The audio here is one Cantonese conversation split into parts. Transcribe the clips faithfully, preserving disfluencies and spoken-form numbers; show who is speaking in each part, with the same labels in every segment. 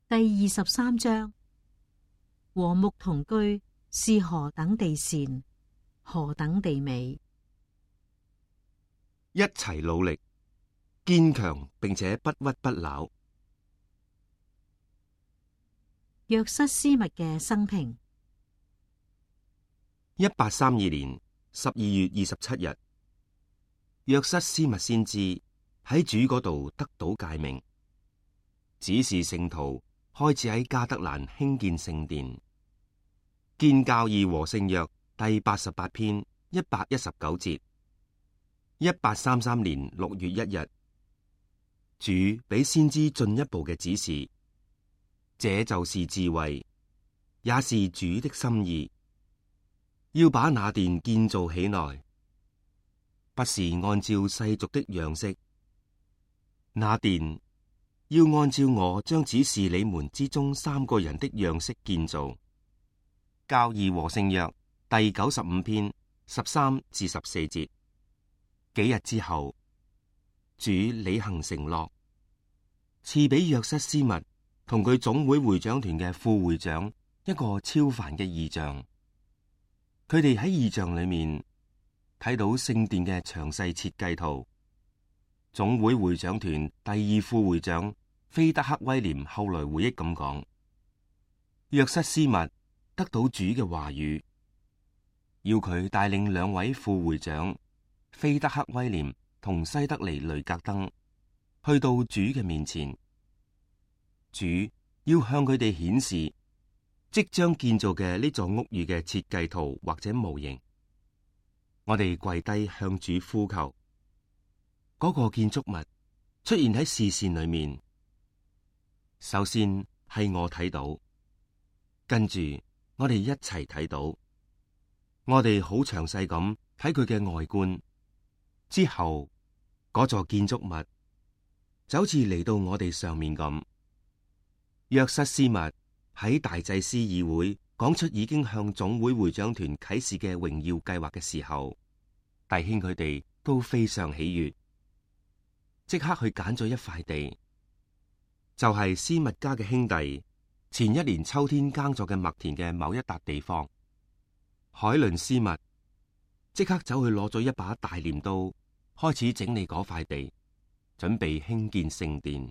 Speaker 1: 第二十三章，和睦同居是何等地善，何等地美。
Speaker 2: 一齊努力，堅強並且不屈不撓。
Speaker 1: 約瑟斯密嘅生平。
Speaker 2: 一八三二年十二月二十七日，約瑟斯密先知喺主嗰度得到誡命，指示聖徒開始喺迦得蘭興建聖殿。建教義和聖約第八十八篇一百一十九節。一八三三年六月一日，主俾先知進一步嘅指示，這就是智慧，也是主的心意，要把那殿建造起來，不是按照世俗的樣式，那殿要按照我將指示你們之中三個人的樣式建造。教義和聖約第九十五篇十三至十四節。幾日之後，主履行承諾，賜俾約瑟斯密同佢總會會長團嘅副會長一個超凡嘅異象。佢哋喺異象裏面睇到聖殿嘅詳細設計圖。總會會長團第二副會長菲德克威廉後來回憶咁講：約瑟斯密得到主嘅話語，要佢帶領兩位副會長菲德克威廉同西德尼雷格登去到主嘅面前。主要向佢哋顯示即將建造嘅呢座屋宇嘅設計圖或者模型。我哋跪低向主呼求，嗰個建築物出現喺視線裏面。首先係我睇到，跟住我哋一齊睇到，我哋好詳細咁睇佢嘅外觀。之後嗰座建築物就好似嚟到我哋上面咁。約瑟斯密喺大祭司議會講出已經向總會會長團啟示嘅榮耀計劃嘅時候，弟兄佢哋都非常喜悅，即刻去揀咗一塊地，就係斯密家嘅兄弟前一年秋天耕作嘅麥田嘅某一笪地方。海倫斯密即刻走去攞咗一把大鐮刀，開始整理嗰塊地，準備興建聖殿。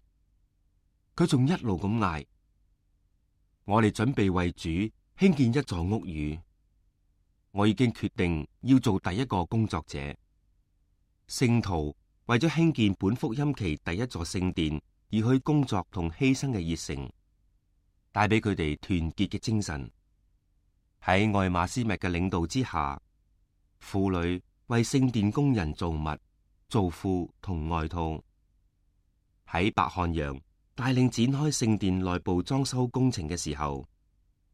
Speaker 2: 佢仲一路咁嗌：我哋準備為主興建一座屋宇。我已經決定要做第一個工作者。聖徒為咗興建本福音期第一座聖殿而去工作同犧牲嘅熱誠，帶俾佢哋團結嘅精神。喺愛馬斯密嘅領導之下，婦女為聖殿工人做襪、做褲同外套。喺白漢陽帶領展開聖殿內部裝修工程嘅時候，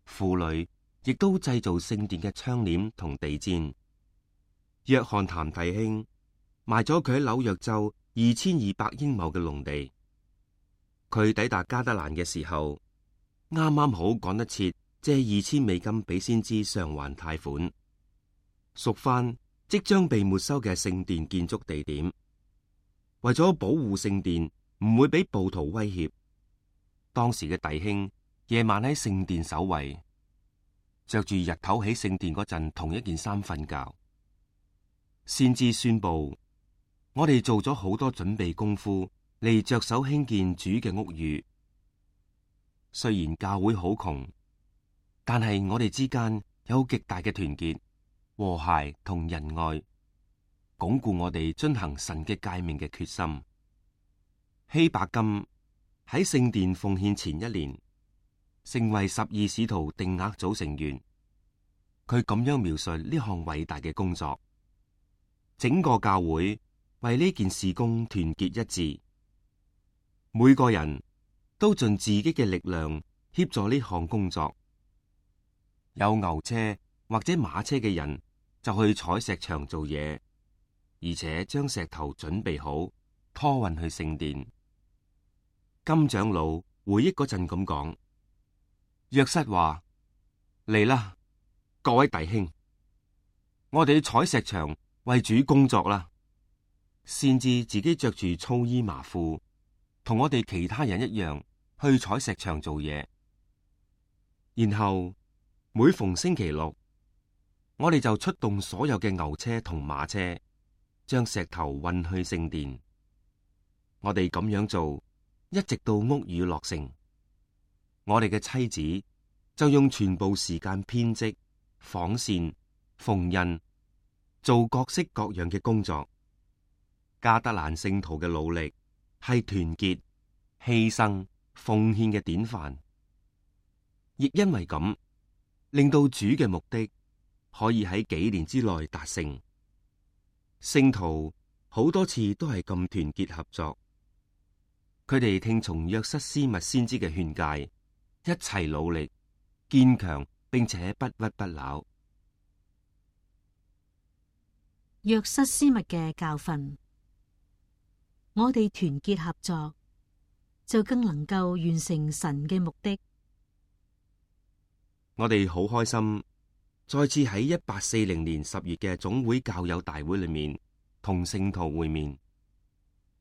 Speaker 2: 婦女亦都製造聖殿嘅窗簾同地氈。約翰譚弟兄賣咗佢喺紐約州二千二百英畝嘅農地。佢抵達加德蘭嘅時候，啱啱好趕得切借二千美金俾先知償還貸款，贖翻即將被沒收嘅聖殿建築地點。為咗保護聖殿唔會俾暴徒威脅，當時嘅弟兄夜晚喺聖殿守衛，着住日頭喺聖殿嗰陣同一件衫瞓覺。先知宣布：我哋做咗好多準備功夫嚟着手興建主嘅屋宇。雖然教會好窮，但係我哋之間有極大嘅團結、和諧同仁愛，鞏固我哋遵行神嘅誡命嘅決心。希伯金喺聖殿奉獻前一年，成為十二使徒定額組成員。佢咁樣描述呢項偉大嘅工作：整個教會為呢件事工團結一致，每個人都盡自己嘅力量協助呢項工作。有牛車或者馬車嘅人就去採石場做嘢，而且將石頭準備好，拖運去聖殿。金長老回憶嗰陣咁講：約瑟話，嚟啦，各位弟兄，我哋去採石場為主工作啦。先知自己着住粗衣麻褲，同我哋其他人一樣去採石場做嘢，然後每逢星期六，我哋就出動所有嘅牛車同馬車，將石頭運去聖殿。我哋咁樣做，一直到屋宇落成。我哋嘅妻子就用全部時間編織、紡線、縫印，做各式各樣嘅工作。加德蘭聖徒嘅努力係團結、犧牲、奉獻嘅典範，亦因為咁，令到主嘅目的可以喺幾年之內達成。聖徒好多次都係咁團結合作，佢哋聽從約瑟斯密先知嘅勸誡，一齊努力、堅強，並且不屈不撓。
Speaker 1: 約瑟斯密嘅教訓，我哋團結合作，就更能夠完成神嘅目的。
Speaker 2: 我哋好開心，再次喺一八四零年十月嘅總會教友大會裏面同聖徒會面。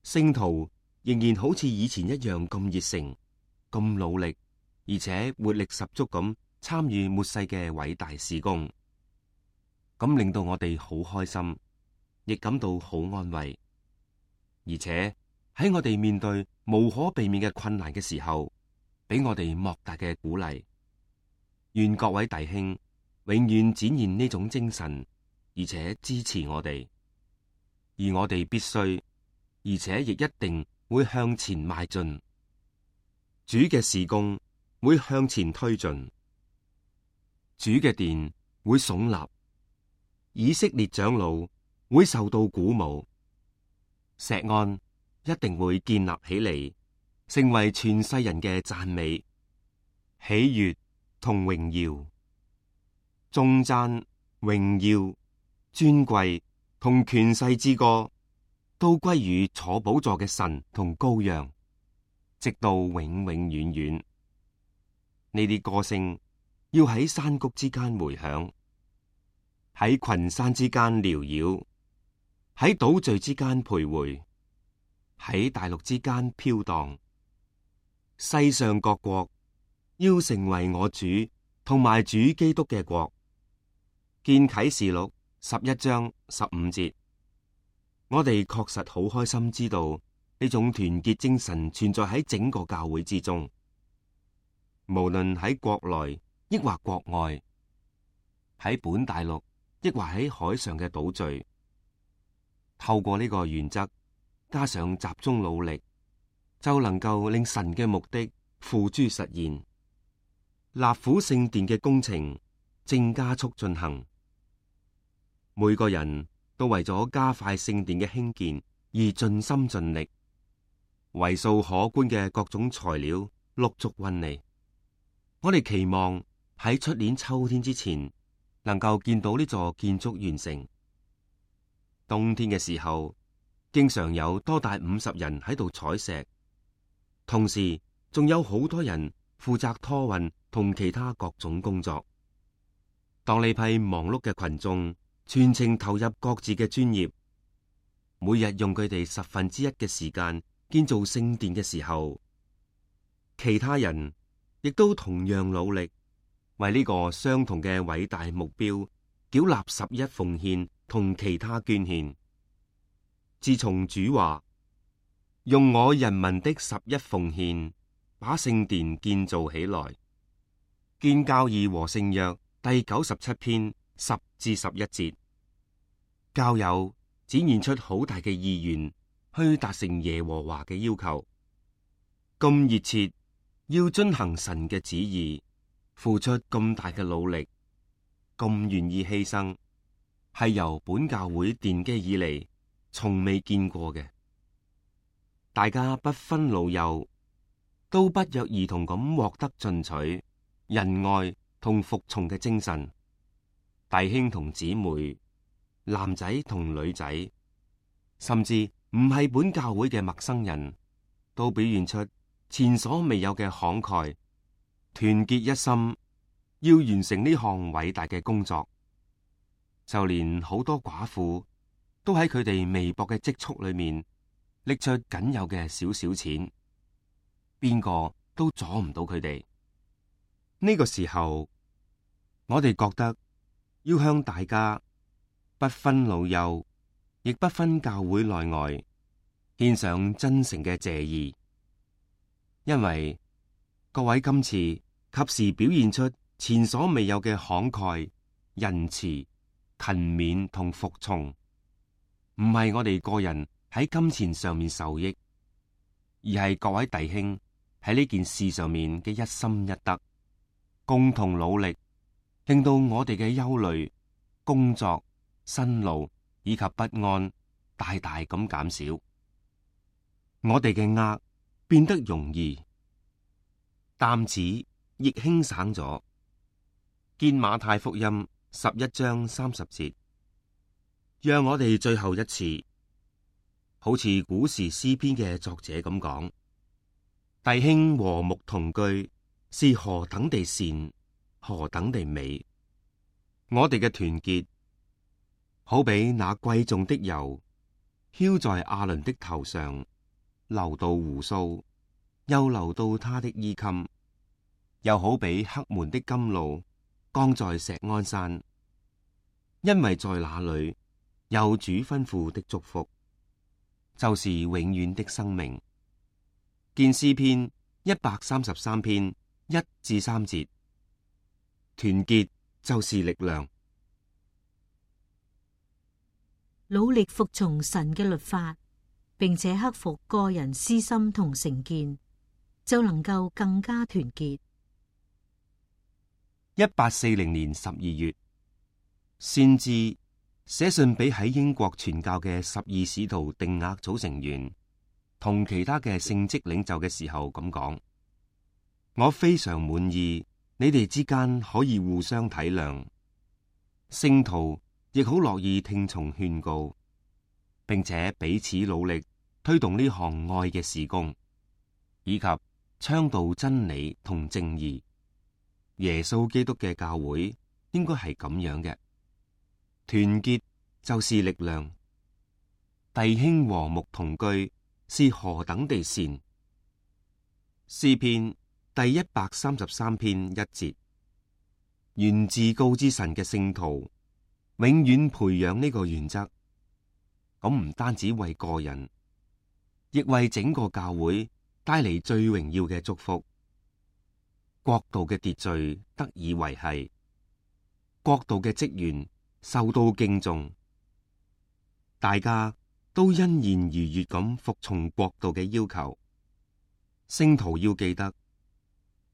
Speaker 2: 聖徒仍然好似以前一樣咁熱誠、咁努力，而且活力十足咁參與末世嘅偉大事工，咁令到我哋好開心，亦感到好安慰。而且喺我哋面對無可避免嘅困難嘅時候，俾我哋莫大嘅鼓勵。願各位弟兄永遠展現呢種精神，而且支持我哋。而我哋必須，而且亦一定會向前邁進。主嘅事工會向前推進，主嘅殿會聳立，以色列長老會受到鼓舞，錫安一定會建立起嚟，成為全世人嘅讚美、喜悅同榮耀、頌讚、榮耀、尊貴同權勢之歌，都歸於坐寶座嘅神同羔羊，直到永永遠遠。呢啲歌聲要喺山谷之間回響，喺群山之間繚繞，喺島嶼之間徘徊，喺大陸之間飄蕩。世上各國要成為我主同埋主基督嘅國。見啟示錄十一章十五節。我哋確實好開心知道呢種團結精神存在喺整個教會之中，無論喺國內抑或國外，喺本大陸抑或喺海上嘅島嶼，透過呢個原則加上集中努力，就能夠令神嘅目的付諸實現。納府聖殿嘅工程正加速進行，每個人都為咗加快聖殿嘅興建而盡心盡力，為數可觀嘅各種材料陸續運嚟。我哋期望喺出年秋天之前能夠見到呢座建築完成。冬天嘅時候，經常有多達五十人喺度採石，同時仲有好多人負責拖運同其他各種工作。當呢批忙碌嘅群眾全程投入各自嘅專業，每日用佢哋十分之一嘅時間建造聖殿嘅時候，其他人亦都同樣努力，為呢個相同嘅偉大目標繳納十一奉獻同其他捐獻。自從主話用我人民的十一奉獻把聖殿建造起來，建教義和聖約第九十七篇十至十一節，教友展現出好大嘅意願去達成耶和華嘅要求，咁熱切要遵行神嘅旨意，付出咁大嘅努力，咁願意犧牲，係由本教會奠基以嚟從未見過嘅。大家不分老幼，都不約而同咁獲得進取、仁愛同服從嘅精神。弟兄同姊妹，男仔同女仔，甚至唔係本教會嘅陌生人，都表現出前所未有嘅慷慨，團結一心，要完成呢項偉大嘅工作。就連好多寡婦都喺佢哋微薄嘅積蓄裏面，拎出僅有嘅少少錢，邊個都阻唔到佢哋。呢個時候，我哋覺得要向大家不分老幼，亦不分教會內外，獻上真誠嘅謝意，因為各位今次及時表現出前所未有嘅慷慨、仁慈、勤勉同服從，唔係我哋個人喺金錢上面受益，而係各位弟兄喺呢件事上面嘅一心一德，共同努力，令到我哋嘅憂慮、工作、辛勞以及不安大大咁減少，我哋嘅軛變得容易，擔子亦輕省咗。見馬太福音十一章三十節，讓我哋最後一次，好似古時詩篇嘅作者咁講：弟兄和睦同居是何等地善，何等地美。我哋嘅團結好比那貴重的油澆在亞倫的頭上，流到鬍鬚，又流到他的衣襟，又好比黑門的甘露降在錫安山，因為在那裏有主吩咐的祝福，就是永遠的生命。見詩篇一百三十三篇一至三節。團結就是力量，
Speaker 1: 努力服從神嘅律法，並且克服個人私心同成見，就能夠更加團結。
Speaker 2: 一八四零年十二月，先知寫信俾喺英國傳教嘅十二使徒定額組成員同其他嘅聖職領袖嘅時候咁講：我非常滿意你哋之間可以互相體諒，聖徒亦好樂意聽從勸告，並且彼此努力推動呢項愛嘅事工，以及倡導真理同正義。耶穌基督嘅教會應該係咁樣嘅，團結就是力量，弟兄和睦同居是何等地善。詩篇第一百三十三篇一節，願至高之神嘅聖徒永遠培養呢個原則，咁唔單止為個人，亦為整個教會帶嚟最榮耀嘅祝福。國度嘅秩序得以維繫，國度嘅職員受到敬重，大家都欣然愉悅咁服從國度嘅要求。聖徒要記得，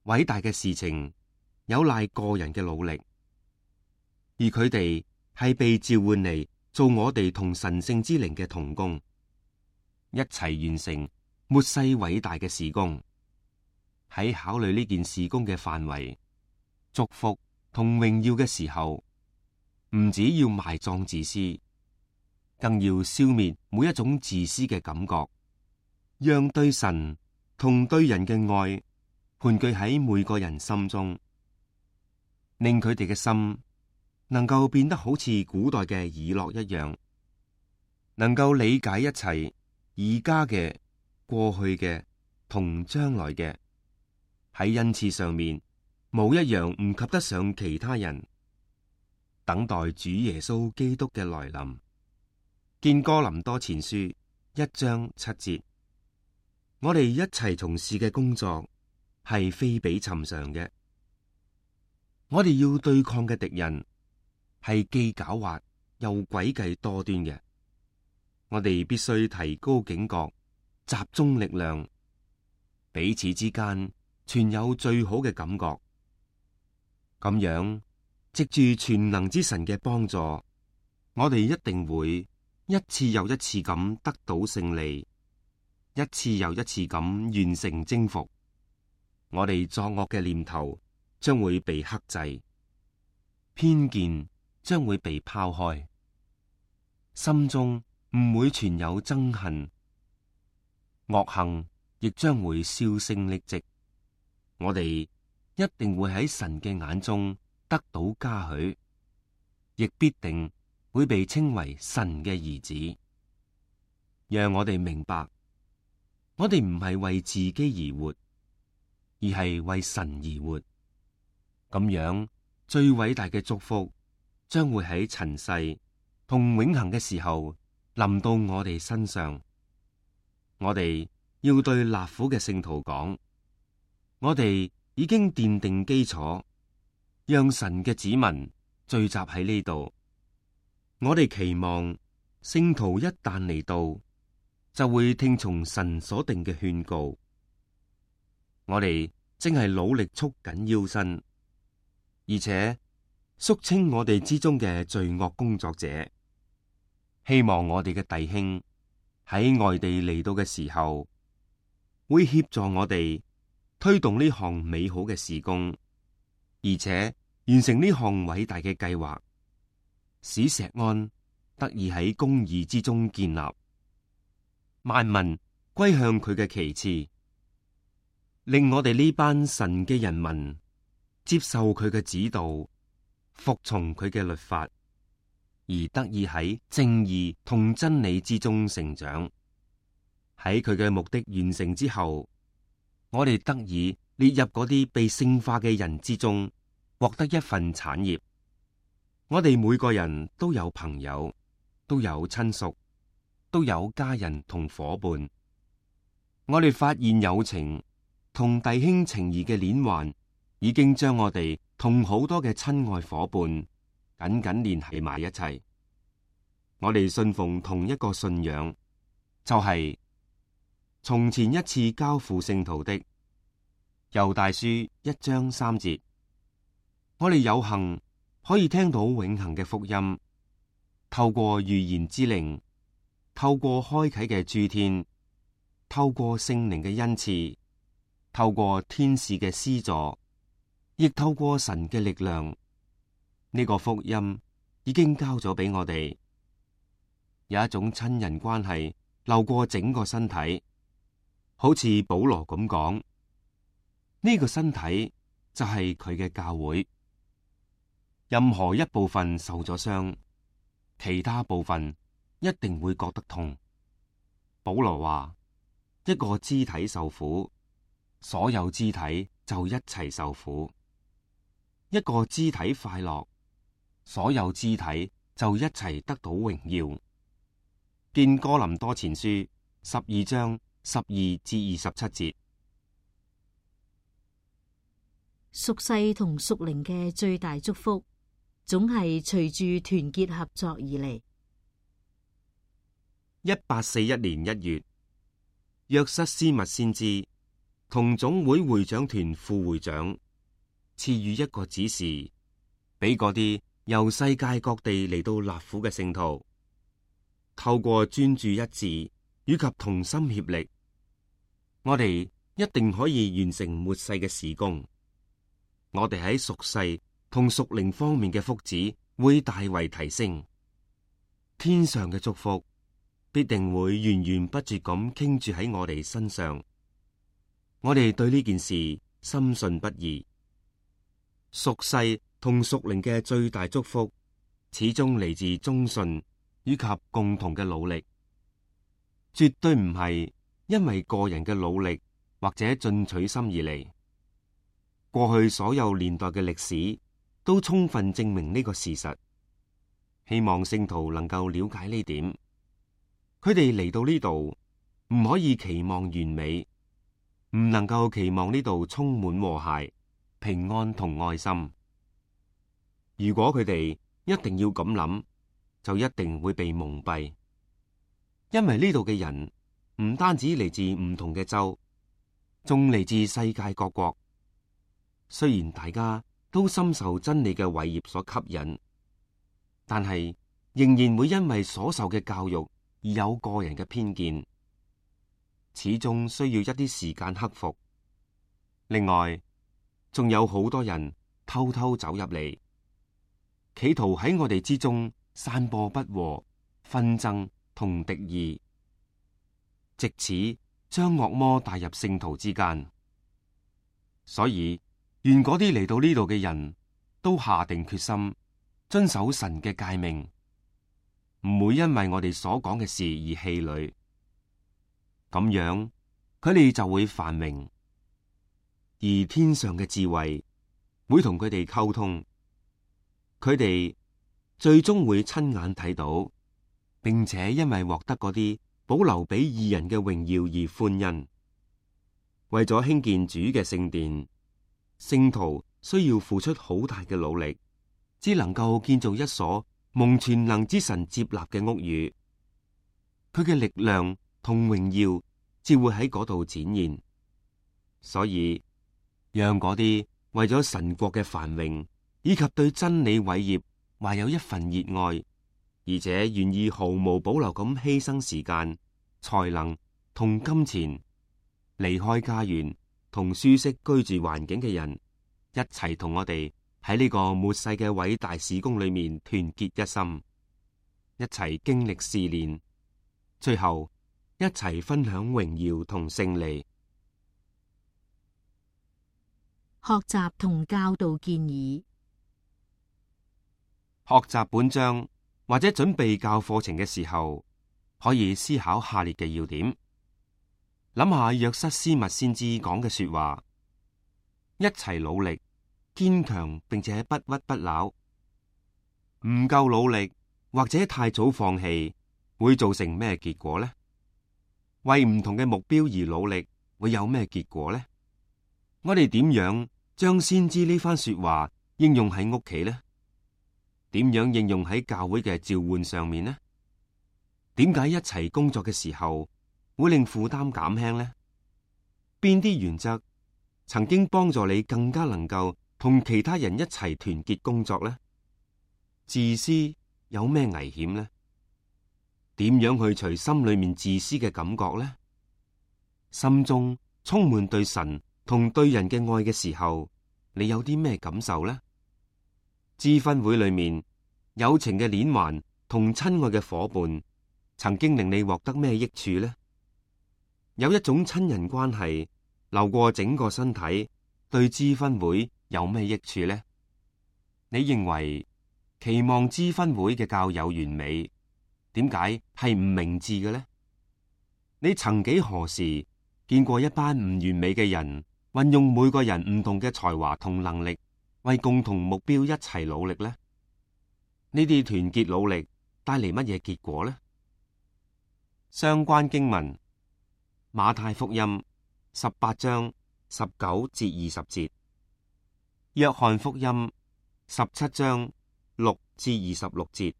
Speaker 2: 偉大嘅事情有賴個人嘅努力，而佢哋係被召喚嚟做我哋同神聖之靈嘅同工，一齊完成末世偉大嘅事工。喺考慮呢件事工嘅範圍、祝福同榮耀嘅時候，唔止要埋葬自私，更要消滅每一種自私嘅感覺，讓對神同對人嘅愛盤踞喺每個人心中，令佢哋嘅心能夠變得好似古代嘅以諾一樣，能夠理解一切而家嘅、過去嘅同將來嘅。喺恩賜上面，冇一樣唔及得上其他人，等待主耶穌基督嘅來臨。見哥林多前書一章七節，我哋一齊從事嘅工作係非比尋常嘅。我哋要對抗嘅敵人係既狡猾又詭計多端嘅。我哋必須提高警覺，集中力量，彼此之間存有最好嘅感覺，咁樣藉住全能之神嘅幫助，我哋一定會一次又一次咁得到勝利，一次又一次咁完成征服。我哋作惡嘅念頭將會被克制，偏見將會被拋開，心中唔會存有憎恨，惡行亦將會銷聲匿跡。我哋一定會喺神嘅眼中得到嘉許，亦必定會被稱為神嘅兒子。讓我哋明白，我哋唔係為自己而活，而係為神而活。咁樣最偉大嘅祝福將會喺塵世同永恆嘅時候臨到我哋身上。我哋要對納苦嘅聖徒講，我哋已經奠定基礎，讓神嘅子民聚集喺呢度。我哋期望聖徒一旦嚟到，就會聽從神所定嘅勸告。我哋正係努力束緊腰身，而且肅清我哋之中嘅罪惡工作者，希望我哋嘅弟兄喺外地嚟到嘅時候，會協助我哋推動呢項美好嘅事工，而且完成呢項偉大嘅計劃，使錫安得以喺公義之中建立，萬民歸向佢嘅旗幟，令我哋呢班神嘅人民接受佢嘅指導，服從佢嘅律法，而得以喺正義同真理之中成長。喺佢嘅目的完成之後，我哋得以列入嗰啲被聖化嘅人之中，獲得一份產業。我哋每個人都有朋友，都有親屬，都有家人同夥伴。我哋發現友情同弟兄情誼嘅鏈環，已經將我哋同好多嘅親愛夥伴緊緊聯繫埋一齊。我哋信奉同一個信仰，就係從前一次交付聖徒的。猶大書一章三節，我哋有幸可以聽到永恆嘅福音，透過預言之靈，透過開啟嘅諸天，透過聖靈嘅恩賜，透過天使嘅施助，亦透過神嘅力量。呢個福音已經交咗俾我哋，有一種親人關係流過整個身體，好似保羅咁講，呢個身體就係佢嘅教會。任何一部分受咗傷，其他部分一定會覺得痛。保羅話，一個肢體受苦，所有肢體就一齊受苦；一個肢體快樂，所有肢體就一齊得到榮耀。見哥林多前書十二章十二至二十七節。
Speaker 1: 屬世同屬靈嘅最大祝福，總係隨住團結合作而嚟。
Speaker 2: 一八四一年一月，約瑟斯密先知同總會會長團副會長賜予一個指示，俾嗰啲由世界各地嚟到納苦嘅聖徒，透過專注一致以及同心協力，我哋一定可以完成末世嘅事工。我哋喺屬世同屬靈方面嘅福祉會大為提升，天上嘅祝福必定會源源不絕咁傾注喺我哋身上。我哋對呢件事深信不疑。屬世同屬靈嘅最大祝福，始終嚟自忠信以及共同嘅努力，絕對唔係因為個人嘅努力或者進取心而嚟。過去所有年代嘅歷史都充分證明呢個事實，希望聖徒能夠了解呢點。佢哋嚟到呢度唔可以期望完美，唔能夠期望呢度充滿和諧、平安同愛心。如果佢哋一定要咁諗，就一定會被蒙蔽，因為呢度嘅人唔單止嚟自唔同嘅州，仲嚟自世界各國。雖然大家都深受真理嘅偉業所吸引，但係仍然會因為所受嘅教育而有個人嘅偏見，始終需要一啲時間克服。另外，仲有好多人偷偷走入嚟，企圖喺我哋之中散播不和、紛爭同敵意，藉此將惡魔帶入聖徒之間。所以，願嗰啲嚟到呢度嘅人都下定決心遵守神嘅誡命，唔會因為我哋所講嘅事而氣餒。咁樣，佢哋就會繁榮。而天上嘅智慧會同佢哋溝通，佢哋最終會親眼睇到，並且因為獲得嗰啲保留俾義人嘅榮耀而歡欣。為咗興建主嘅聖殿，聖徒需要付出好大嘅努力，只能夠建造一所蒙全能之神接納嘅屋宇。佢嘅力量同榮耀只會喺嗰度展現。所以，讓嗰啲為咗神國嘅繁榮以及對真理偉業懷有一份熱愛，而且願意毫無保留咁犧牲時間、才能同金錢，離開家園同舒適居住環境嘅人，一齊同我哋喺呢個末世嘅偉大事工裏面團結一心，一齊經歷試煉，最後一齊分享榮耀同勝利。
Speaker 1: 學習同教導建議。
Speaker 2: 學習本章或者準備教課程嘅時候，可以思考下列嘅要點。諗下約瑟斯密先知講嘅說話，一齊努力，堅強並且不屈不撓。唔夠努力或者太早放棄，會造成咩結果呢？為唔同嘅目標而努力，會有咩結果呢？我哋點樣將先知呢番說話應用喺屋企呢？點樣應用喺教會嘅召喚上面呢？點解一齊工作嘅時候會令負擔減輕呢？邊啲原則曾經幫助你更加能夠同其他人一齊團結工作呢？自私有咩危險呢？點樣去除心裏面自私嘅感覺呢？心中充滿對神同對人嘅愛嘅時候，你有啲咩感受呢？諮婚會裏面友情嘅鏈環同親愛嘅夥伴，曾經令你獲得咩益處呢？有一種親人關係流過整個身體，對諮婚會有咩益處呢？你認為期望諮婚會嘅教友完美，點解係唔明智嘅呢？你曾幾何時見過一班唔完美嘅人，運用每個人唔同嘅才華同能力，為共同目標一齊努力呢？呢啲團結努力帶嚟乜嘢結果呢？相關經文：馬太福音十八章十九至二十節，約翰福音十七章六至二十六節，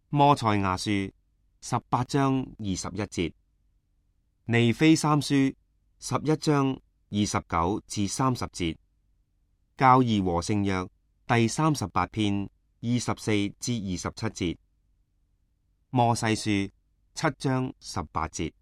Speaker 2: 摩賽亞書十八章二十一節，尼非三書十一章二十九至三十節，教義和聖約第三十八篇二十四至二十七節，摩西書七章十八節。